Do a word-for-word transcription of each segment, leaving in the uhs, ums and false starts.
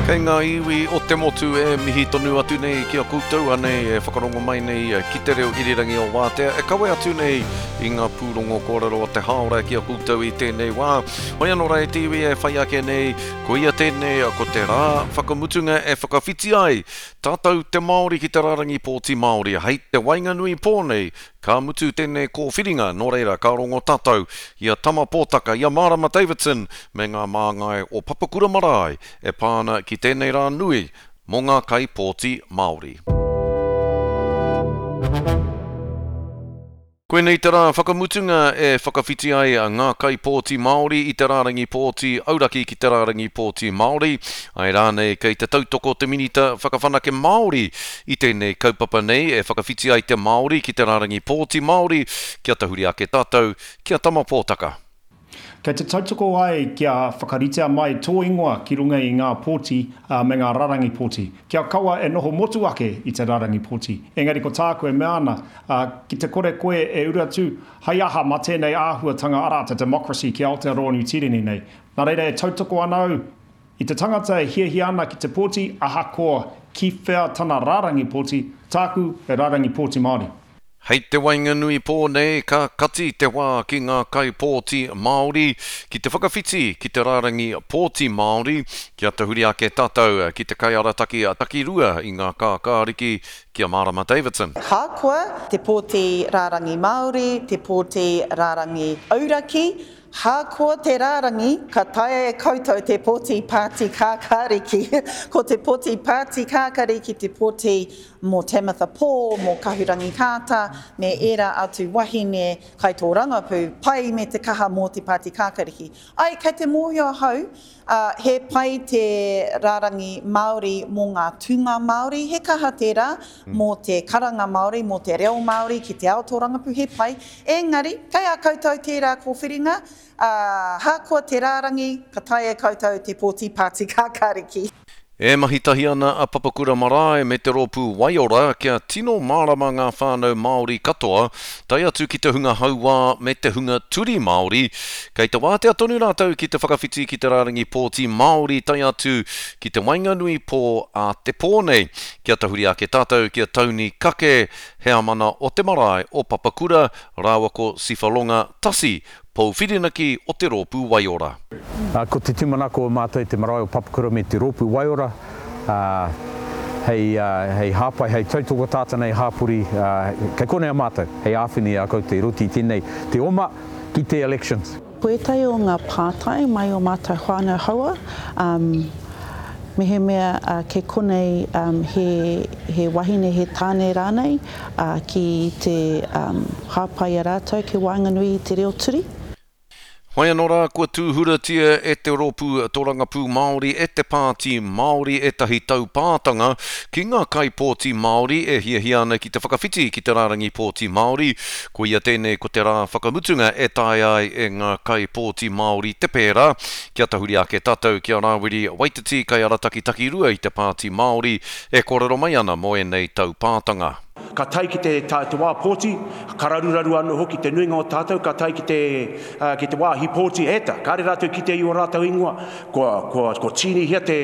Kei ngā iwi o te motu e mihi tonu atu nei ki a koutou anei e whakarongo mai nei ki te reo irirangi o Wātea e kawe atu nei i ngā pūrongo kōrero o te hāora ki a koutou i tēnei wā. Hoi anō rā e te iwi e whai ake nei, koia tēnei ko te rā whakamutunga e whakawhiti ai tātou te Māori ki te rārangi pōti Māori hei te waenganui pō nei ka mutu tēnei kōwhiringa, nō reira ka rongo tātou i a Tama Pōtaka, i a Marama Davidson me ngā māngai o Papakura Marae e pā ana ki tēnei rā nui mō ngā kaipōti Māori. Koinei te rā whakamutunga e whakawhiti ai ngā kaipōti Māori i te rārangi pōti auraki ki te rārangi pōti Māori. Ai rānei kei te tautoko te minita whakawhanake Māori i tēnei kaupapa nei e whakawhiti ai te Māori ki te rārangi pōti Māori kia tahuri ake tātou ki a Tama Pōtaka. Kei te tautoko ai kia whakaritea mai tō ingoa ki runga i ngā pōti me ngā rarangi pōti. Kia kaua e noho motu ake i te rarangi pōti. Engari ko tāku e mea ana, ki te kore koe e uru atu, hai aha mā tēnei āhuatanga arā te democracy ki Aotearoa Niu Tīreni nei. Nā reira e tautoko ana au i te tangata e hiahia ana ki te pōti ahakoa ki whea tana rarangi pōti, tāku he rarangi pōti Māori. Hei te waenganui pō nei ka kati te wā ki ngā kaipōti Māori ki te whakawhiti ki te rārangi pōti Māori kia tahuri ake tātou ki te kaiarataki takirua i ngā kākāriki ki a Marama Davidson. Hākoa te pōti rārangi Māori, te pōti rārangi auraki, hākoa te rārangi, ka taea e koutou te pōti pāti kākāriki. Ko te pōti pāti kākāriki te pōti mō Tamatha Paul, mō Kahurangi Kāta, me ērā atu wahine kai tō rangapu, pai me te kaha mō te pāti kākāriki. Ai, kei te mōhio ahau, uh, he pai te rārangi Māori mō ngā tūnga Māori, he kaha tērā mō te karanga Māori, mō te reo Māori ki te ao tō rangapu, he pai. Engari, kei a koutou tērā kōwhiringa, uh, hākoa te rārangi, ka taea e koutou te pōti pāti kākāriki. E mahi tahi ana a Papakura Marae me te rōpū Waiora kia tino mārama ngā whānau Māori katoa, tae atu ki te hunga hauā me te hunga turi Māori. Kei te wātea tonu rātou ki te whakawhiti ki te rārangi pōti Māori tae atu ki te waenganui pō a te pō nei. Kia tahuri ake tātou ki a Tauni Kake, heamana o te marae o Papakura, rāua ko Sifalonga Tasi, Pouwhirinaki o te rōpū Waiora. Uh, ko te tūmanako o mātou te marae o Papakura me te rōpū Waiora, uh, hei, uh, hei hāpai, hei tautoko tātou nei hāpori, uh, kei konei a mātou, hei āwhina i a koutou i roto i tēnei te oma ki te elections. Ko ētahi o ngā pātai mai o mātou whānau haua, um, mehemea uh, kei konei um, he, he wahine, he tāne rānei uh, ki te um, hāpai a rātou ki waenganui i te reo turi. Hoi anō rā, kua tūhuratia e te rōpū Torangapū Māori e te Pāti Māori ētahi taupātanga ki ngā kaipōti Māori e hiahia ana ki te whakawhiti ki te rārangi pōti Māori. Koia tēnei ko te rā whakamutunga e taea ai e ngā kaipōti Māori te pērā. Kia tahuri ake tātou ki a Rāwiri Waititi kaiarataki takirua i te Pāti Māori e kōrero mai ana mō ēnei taupātanga. Ka tae ki te, ta, te wā pōti, ka raruraru anō hoki te nuinga o tātou, ka tae ki te, uh, ki te wāhi pōti eta, kāre rātou ki te i o rātou ingoa, kua, kua, kua tīnihia te,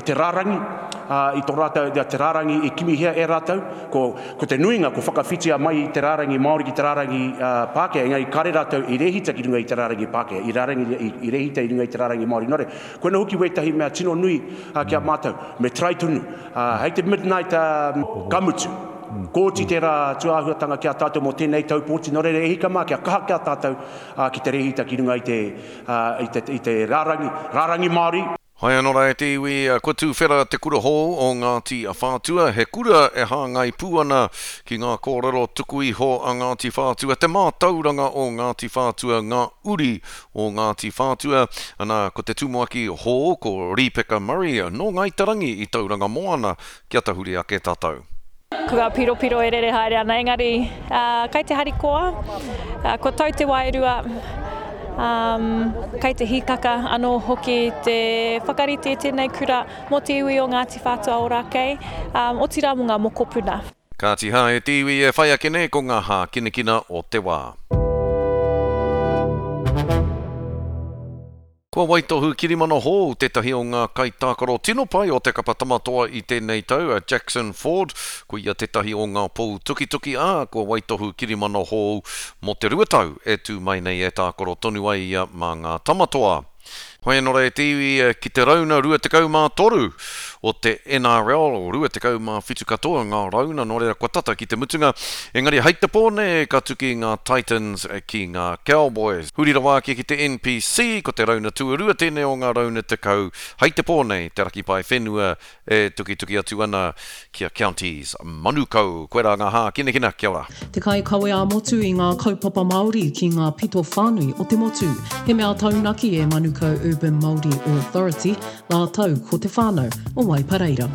te rārangi, uh, i tō rātou, te rārangi i kimihia e rātou, ko, ko te nuinga, ko whakawhitia mai i te rārangi Māori ki te rārangi uh, Pākehā, engari kāre rātou i rehita ki runga i te rārangi Pākehā, i, rārangi, i, i rehita i runga i te rārangi Māori. Nō reira, koina hoki wētahi mea tino nui uh, ki a mātou, me try tonu, uh, hei te midnight uh, ka mutu. Kōti te rā tūāhuatanga ki a tātou mō tēnei tau pōti, nō reira e hika mā kia kaha ki a tātou uh, ki te rehita ki runga i te, uh, i te, i te rārangi, rārangi Māori. Hai anō rā e te iwi, kua tūwhera te kura hou o Ngāti Whātua, he kura e hāngai pū ana ki ngā kōrero tuku iho a Ngāti Whātua, te mātauranga o Ngāti Whātua, ngā uri o Ngāti Whātua. Ana, ko te tumuaki hou, ko Rīpeka Murray, nō Ngāi Te Rangi i Tauranga Moana, kia tahuri ake tātou. Ko ngā piropiro e rere haere ana, engari uh, kei te harikoa, uh, kua tau te wairua, um, kei te hīkaka anō hoki te whakarite tēnei kura mō te iwi o Ngāti Whātua Ōrākei, um, otirā mō ngā mokopuna. Kāti hā e te iwi e whai ake nei ko ngā hākinakina o te wā. Kua waitohu kirimana hou tētahi o ngā kaitākaro tino pai o te kapa Tamatoa i tēnei tau, a Jackson Ford. Ko ia tētahi o ngā pou tukituki, ā, kua waitohu kirimana hou mō te rua tau e tū mai nei e tākaro tonu ai ia mā ngā Tamatoa. Hoi anō rā e te iwi ki te rauna rua tekau mā toru o te N R L, rua tekau mā whitu katoa ngā rauna, nō reira kua tata ki te mutunga. Engari hei te pō nei ka tuki ngā Titans ki ngā Cowboys. Huri rawa ake ki te N P C, ko te rauna tuarua tēnei o ngā rauna tekau. Hei te pō nei te Raki Paewhenua e tukituki atu ana ki a Counties Manukau. Koirā ngā hākinakina, kia ora. Te kaikawe ā-motu i ngā kaupapa Māori ki ngā pito whānui o te motu. He mea taunaki e Manukau Urban Māori Authority, rātou ko te whānau o Waipareira.